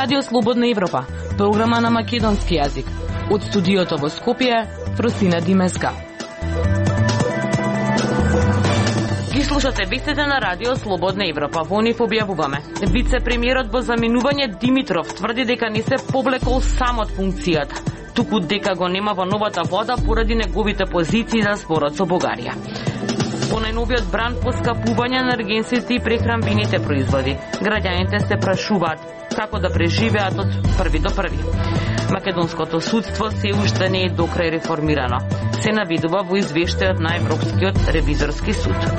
Радио Слободна Европа, програма на македонски јазик. Од студиото во Скопје, Фросина Димеска. Ги слушате вестите на Радио Слободна Европа. Во нив објавуваме. Вице-премиерот во заминување Димитров тврди дека не се повлекол сам од функцијата, туку дека го нема во новата влада поради неговите позиции за спорот со Бугарија. По најновиот бран поскапување на енергенсите и прехранбените производи, граѓаните се прашуваат како да преживеат од први до први. Македонското судство се уште не е докрај реформирано, се навидува во извештајот на Европскиот ревизорски суд.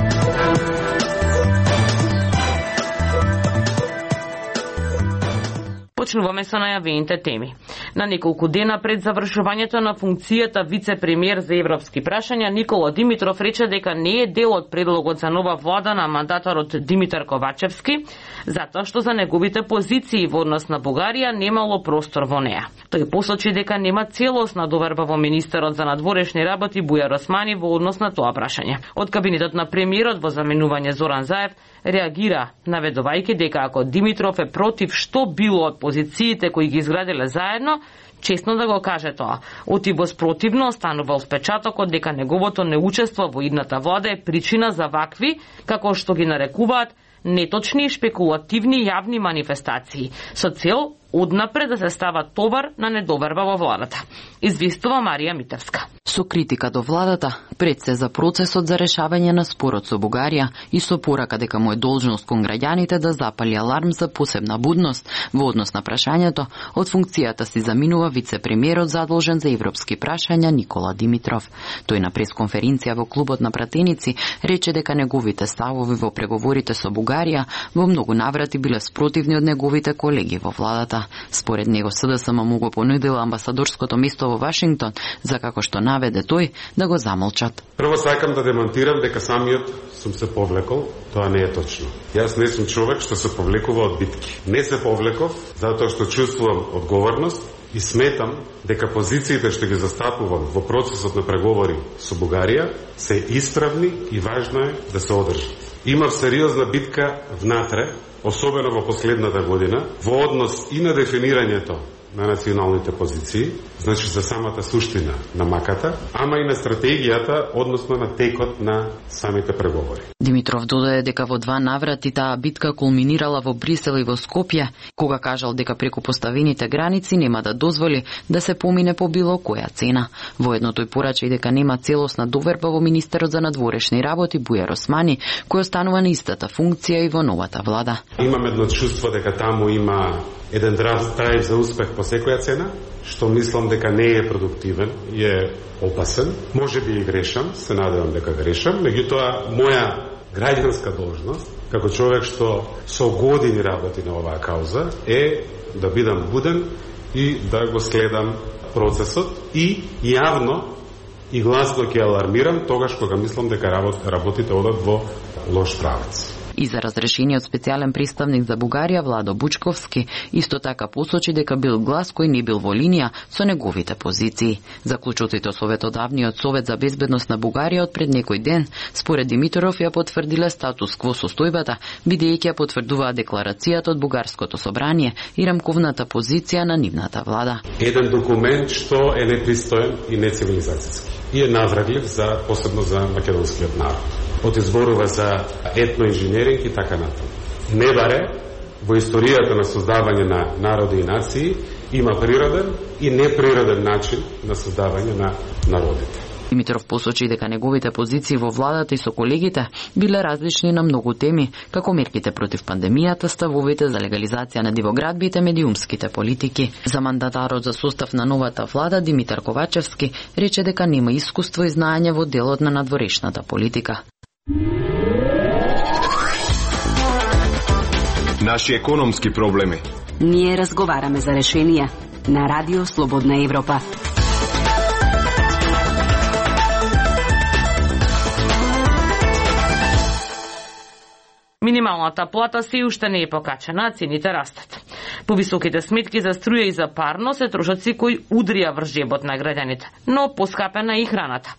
Почнуваме со најавените теми. На неколку дена пред завршувањето на функцијата вице-премиер за европски прашања, Никола Димитров рече дека не е дел од предлогот за нова влада на мандаторот Димитар Ковачевски, затоа што за неговите позиции во однос на Бугарија немало простор во неа. Тој посочи дека нема целосна доверба во министерот за надворешни работи Бујар Османи во однос на тоа прашање. Од кабинетот на премиерот во заменување Зоран Заев реагира, наведувајќи дека ако Димитров е против што било од позициите кои ги изграделе заедно, честно да го каже тоа. Отиво спротивно останувал впечатокот дека неговото неучество во идната влада е причина за вакви, како што ги нарекуваат, неточни и шпекулативни јавни манифестации, со цел однапред да се става товар на недоверба во владата. Известува Марија Митевска. Со критика до владата, пред се за процесот за решавање на спорот со Бугарија и со порака дека му е должност кон граѓаните да запали аларм за посебна будност во однос на прашањето, од функцијата си заминува вице-премиерот задолжен за европски прашања Никола Димитров. Тој на пресконференција во клубот на пратеници рече дека неговите ставови во преговорите со Бугарија во многу наврати биле спротивни од неговите колеги во владата. Според него СДСМ му го понудила амбасадорското место во Вашингтон, за како што наведе тој да го замолчат. Прво сакам да демонтирам дека самиот сум се повлекол, тоа не е точно. Јас не сум човек што се повлекува од битки. Не се повлеков затоа што чувствувам одговорност и сметам дека позициите што ги застапувам во процесот на преговори со Бугарија се исправни и важно е да се одржат. Имав сериозна битка внатре, особено во последната година, во однос и на дефинирањето на националните позиции, значи за самата суштина на маката, ама и на стратегијата, односно на текот на самите преговори. Димитров додаде дека во два наврати таа битка кулминирала во Брисел и во Скопје, кога кажал дека преку поставените граници нема да дозволи да се помине по било која цена. Воедно тој порача и дека нема целосна доверба во министерот за надворешни работи Бујар Османи, кој останува на истата функција и во новата влада. Имам едно чувство дека таму има еден драйв за успех по секоја цена, што мислам дека не е продуктивен и е опасен. Може би и грешам, се надевам дека грешам, меѓутоа моја граѓанска должност, како човек што со години работи на оваа кауза, е да бидам буден и да го следам процесот и јавно и гласно ќе алармирам тогаш кога мислам дека работите одат во лош правец. И за разрешениот специјален представник за Бугарија Владо Бучковски исто така посочи дека бил глас кој не бил во линија со неговите позиции. Заклучоците Советодавниот совет за безбедност на Бугарија од пред некој ден, според Димитров ја потврдиле статус кво состојбата, бидејќи ја потврдуваа декларацијата од Бугарското собрание и рамковната позиција на нивната влада. Еден документ што е непристоен и нецивилизацијски и е навредлив за посебно за македонскиот народ. Од изборува за етноинженеринг и така натаму. Не баре во историјата на создавање на народи и нации има природен и неприроден начин на создавање на народите. Димитров посочи дека неговите позиции во владата и со колегите биле различни на многу теми, како мерките против пандемијата, ставовите за легализација на дивоградбите, медиумските политики. За мандатарот за состав на новата влада Димитар Ковачевски рече дека нема искуство и знаење во делот на надворешната политика. Наши економски проблеми. Ние разговараме за решенија на Радио Слободна Европа. Минималната плата се уште не е покачена, а цените растат. Повисоките сметки за струја и за парно се трошоци кои удрија врз жебот на граѓаните, но поскапена и храната.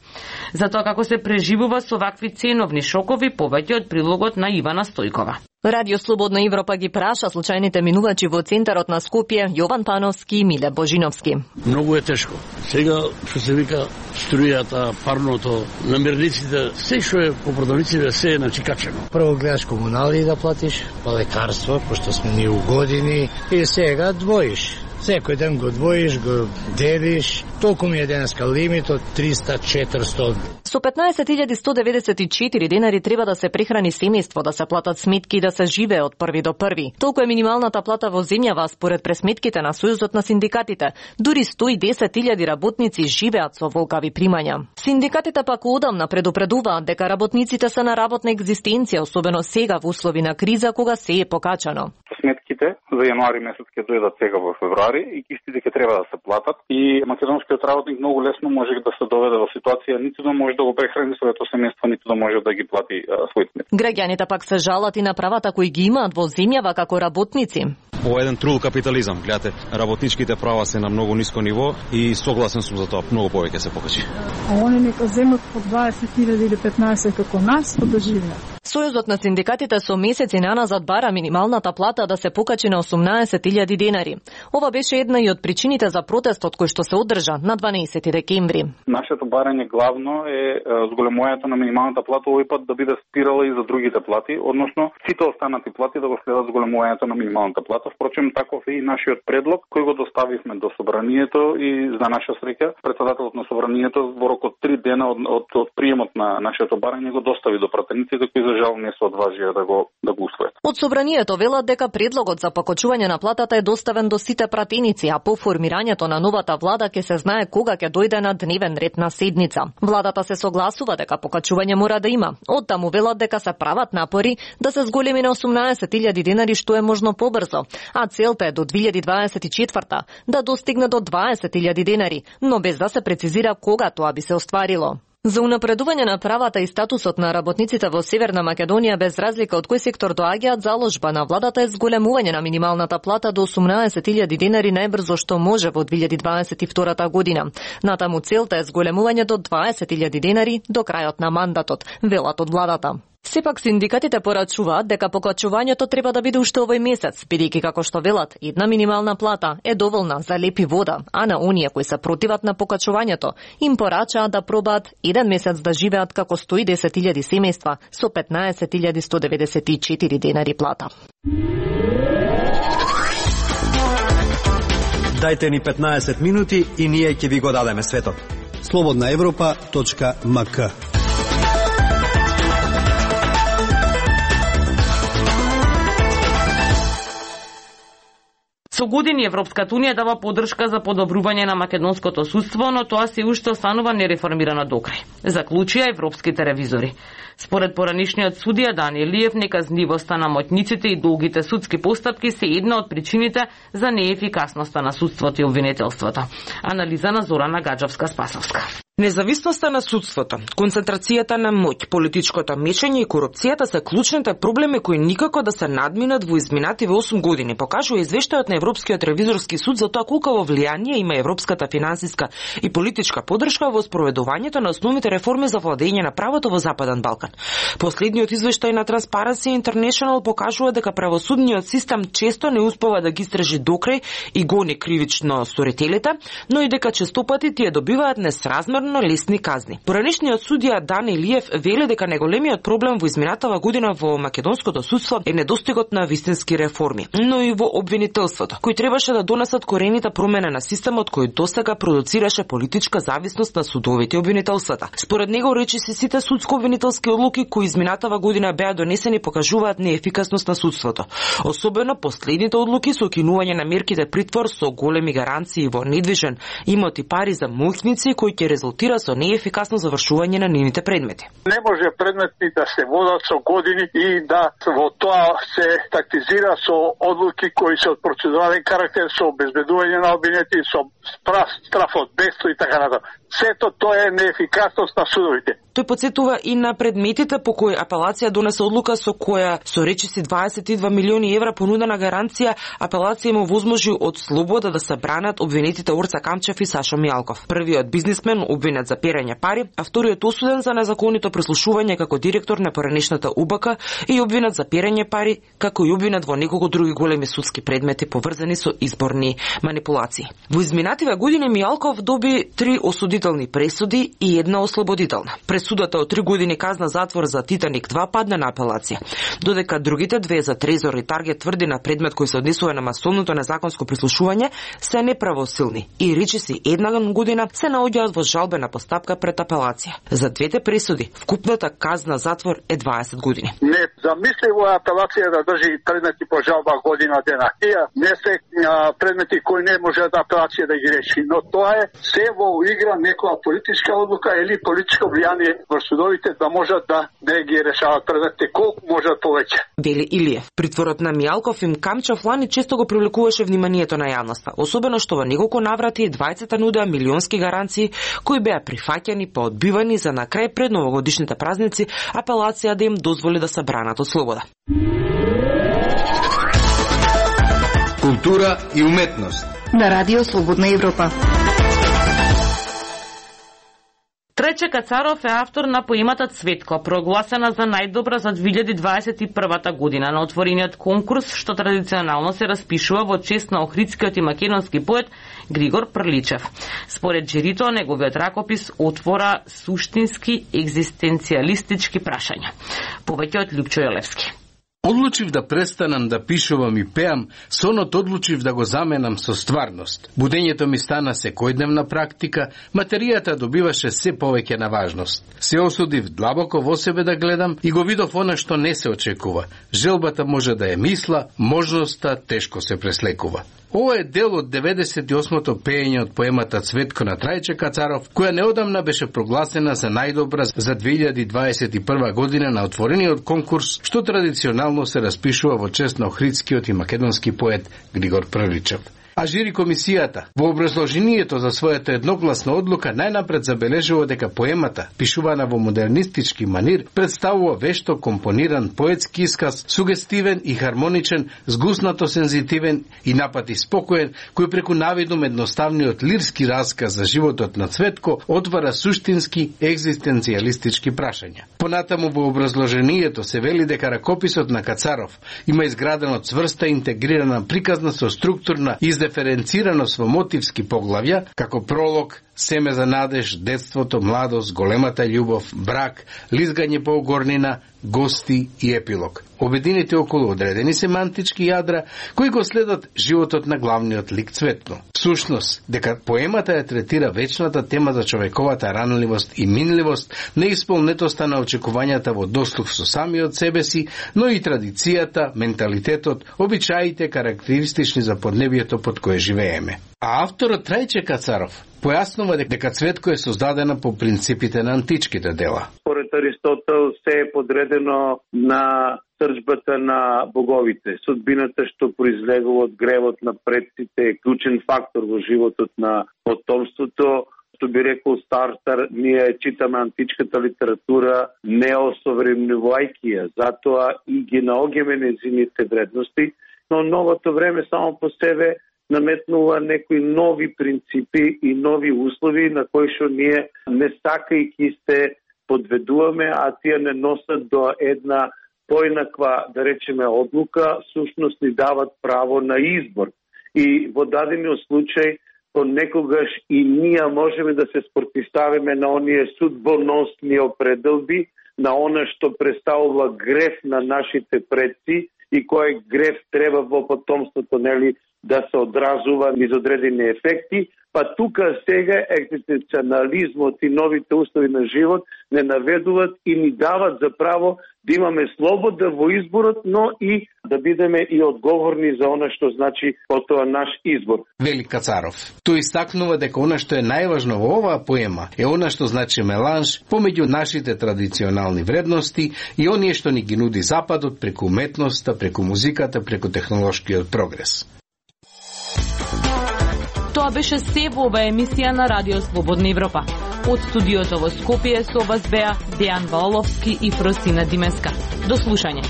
Затоа како се преживува со вакви ценовни шокови, повеќе од прилогот на Ивана Стојкова. Радио Слободна Европа ги праша случајните минувачи во центарот на Скопје Јован Пановски и Миле Божиновски. Многу е тешко. Сега, што се вика, струјата, парното, намирниците, се што е по продавниците, се е начикачено. Прво гледаш комунали да платиш, па лекарство, пошто сме ние у години, и сега двоиш. Секој ден го двоиш, го делиш, толку ми е денеска лимит од 300-400. Со 15.194 денари треба да се прехрани семејство, да се платат сметки и да се живее од први до први. Толку е минималната плата во земјава според пресметките на Сојузот на синдикатите. Дури 110.000 работници живеат со волкави примања. Синдикатите пак одамна предупредуваат дека работниците се на работна екзистенција, особено сега во услови на криза кога се е покачано. Сметките за јануари месец ќе дојдат сега во февруари и кистите ќе треба да се платат и македонскиот работник многу лесно може да се доведе во ситуација ниту да може да го прехрани своето семејство, ниту да може да ги плати своите сметки. Граѓаните пак се жалат и на правата кои ги имаат во земјава како работници. Ова е еден трул капитализам. Гледате, работничките права се на многу ниско ниво и согласен сум за тоа, многу повеќе се покачи. А они нека земат по 20.000 или 15 како нас, па да живеат. Сојузот на синдикатите со месеци наназад бара минималната плата да се покачи на 18.000 денари. Ова беше една и од причините за протестот кој што се одржа на 12 декември. Нашето барање главно е зголемувањето на минималната плата овој пат да биде спирала и за другите плати, односно сите останати плати да го следат зголемувањето на минималната плата. Впрочем, таков е и нашиот предлог кој го доставивме до собранието и за наша среќа претседателот на собранието во рок од 3 дена од приемот на нашето барање го достави до пратениците кои за жал не се одважија да го усвојат. Од собранието велат дека предлогот за покачување на платата е доставен до сите пратеници, а по формирањето на новата влада ќе се знае кога ќе дојде на дневен ред на седница. Владата се согласува дека покачување мора да има. Оттаму велат дека се прават напори да се зголеми на 18.000 денари што е можно побрзо, а целта е до 2024 да достигне до 20.000 денари, но без да се прецизира кога тоа би се остварило. За унапредување на правата и статусот на работниците во Северна Македонија без разлика од кој сектор доаѓаат, заложба на владата е зголемување на минималната плата до 18.000 денари најбрзо што може во 2022 година. Натаму целта е зголемување до 20.000 денари до крајот на мандатот, велат од владата. Сепак синдикатите порачуваат дека покачувањето треба да биде уште овој месец, бидејќи како што велат, една минимална плата е доволна за леп и вода, а на оние кои се противат на покачувањето им порачаат да пробаат еден месец да живеат како 110.000 семејства со 15.194 денари плата. Дајте ни 15 минути и ние ќе ви го дадеме светот. slobodnaevropa.mk. Со години Европската унија дава поддршка за подобрување на македонското судство, но тоа се уште останува нереформирано докрај, заклучија европските ревизори. Според поранишниот судија Дани Илиев, неказнивоста на моќниците и долгите судски постапки се една од причините за неефикасноста на судството и обвинителството. Анализа на Зорана Гаджевска-Спасовска. Независноста на судството, концентрацијата на моќ, политичкото мешање и корупцијата се клучните проблеми кои никако да се надминат во изминативе 8 години, покажува извештајот на Европскиот ревизорски суд за тоа колку влијание има европската финансиска и политичка поддршка во спроведувањето на основните реформи за владење на правото во Западен Балкан. Последниот извештај на Transparency International покажува дека правосудниот систем често не успева да ги истражи докрај и гони кривично сторителите, но и дека честопати тие добиваат несразмерно лесни казни. Поранишниот судија Дани Илиев вели дека најголемиот проблем во изминатава година во македонското судство е недостигот на вистински реформи, но и во обвинителството, кои требаше да донесат корените промена на системот кој досега продуцираше политичка зависност на судовите и обвинителствата. Според него речиси сите судско-обвинителски одлуки кои изминатава година беа донесени покажуваат неефикасност на судството. Особено последните одлуки со укинување на мерките притвор со големи гаранции во недвижен имот и пари за моќници кои ќе резултира со неефикасно завршување на нивните предмети. Не може предмети да се водат со години и да во тоа се тактизира со одлуки кои се од процедурален карактер, со обезбедување на обвинети, со страф од бедство и така натаму. Сето тоа е неефикасност на судовите. Тој подсетува и на предметите по кои апелација донесе одлука со која со речиси 22 милиони евра понудена гаранција апелација му возможи од слобода да се бранат обвинетите Орца Камчев и Сашо Мијалков. Првиот бизнисмен обвинет за перење пари, а вториот осуден за незаконито прислушување како директор на поранешната УБК и обвинет за перење пари, како и обвинет во неколку други големи судски предмети поврзани со изборни манипулации. Во изминативе години Мијалков доби 3 осудителни пресуди и една ослободителна. Пресудата од 3 години казна затвор за Титаник 2 падна на апелација, додека другите две за Трезор и Таргет тврди на предмет кој се однесува на масовното незаконско прислушување се неправосилни и речиси една година се наоѓаат во жалбена постапка пред апелација. За двете пресуди вкупната казна затвор е 20 години. Не замисливо е апелација да држи предмети по жалба година дена. Тие не се предмети кои не може да апелација да ги реши, но тоа е се во игра некоја политичка одлука или политичко влијание во судовите да можат да не ги решават предметите колку можат повеќе. Вели Илиев. Притворот на Мијалков и Камчев лани често го привлекуваше вниманието на јавноста, особено што во неколку наврати двајцата нудеа милионски гаранции кои беа прифаќани па одбивани за на крај пред новогодишните празници апелација да им дозволи да се бранат од слобода. Култура и уметност на Радио Слободна Европа. Трајче Кацаров е автор на поемата Цветко, прогласена за најдобра за 2021 година на отворениот конкурс, што традиционално се распишува во чест на охридскиот и македонски поет Григор Прличев. Според жирито, неговиот ракопис отвора суштински екзистенцијалистички прашања. Повеќе од Лјупчо Јолевски. Одлучив да престанам да пишувам и пеам, сонот одлучив да го заменам со стварност. Будењето ми стана секојдневна практика, материјата добиваше се повеќе на важност. Се осудив длабоко во себе да гледам и го видов она што не се очекува. Желбата може да е мисла, можноста тешко се преслекува. Ова е дел од 98-то пеење од поемата Цветко на Трајче Кацаров, која неодамна беше прогласена за најдобра за 2021 година на отворениот конкурс, што традиционално се распишува во чест на охридскиот и македонски поет Григор Прличев. А жири комисијата во образложението за својата едногласна одлука најнапред забележува дека поемата, пишувана во модернистички манир, представува вешто компониран поетски исказ, сугестивен и хармоничен, згуснато сензитивен и напати спокоен, кој преку навидум едноставниот лирски расказ за животот на Цветко отвара суштински екзистенцијалистички прашања. Понатаму во образложението се вели дека ракописот на Кацаров има изградено цврста интегрирана приказна со структурна издиференцираност во мотивски поглавја, како пролог, семе за надеж, детството, младост, големата љубов, брак, лизгање по огорнина, гости и епилог. Обединети околу одредени семантички јадра, кои го следат животот на главниот лик Цветко. Всушност, дека поемата ја третира вечната тема за човековата ранливост и минливост, неисполнетоста на очекувањата во дослух со самиот себе си, но и традицијата, менталитетот, обичаите карактеристични за поднебието под кое живееме. А авторот Трајче Кацаров појаснува дека Цветко е создадена по принципите на античките дела. Според Аристотел се е подредено на срџбата на боговите. Судбината што произлегува од гревот на предците е клучен фактор во животот на потомството. Што би рекол Стартер, ние читаме античката литература неосовремнувајќи ја, затоа и ги наоѓаме незините вредности, но новото време само по себе наметнува некои нови принципи и нови услови на кои што ние не сакајќи се подведуваме, а тие не носат до една поинаква, да речеме, одлука, сушност ни дават право на избор. И во дадениот случај, понекогаш и ние можеме да се спротивставиме на оние судбоносни определби, на она што представува греф на нашите предци и кој греф треба во потомството, нели, да се одразува низ одредени ефекти, па тука сега екзистенцијализмот и новите услови на живот не наведуваат и ни дават за право да имаме слобода во изборот, но и да бидеме и одговорни за она што значи потоа наш избор. Вели Кацаров. Тој истакнува дека она што е најважно во оваа поема е она што значи меланж помеѓу нашите традиционални вредности и оние што ни ги нуди Западот преку уметноста, преку музиката, преку технолошкиот прогрес. Тоа Ова беше се во оваа емисија на Радио Слободна Европа. Од студиото во Скопје со вас беа Дејан Ваоловски и Фросина Димеска. До слушање.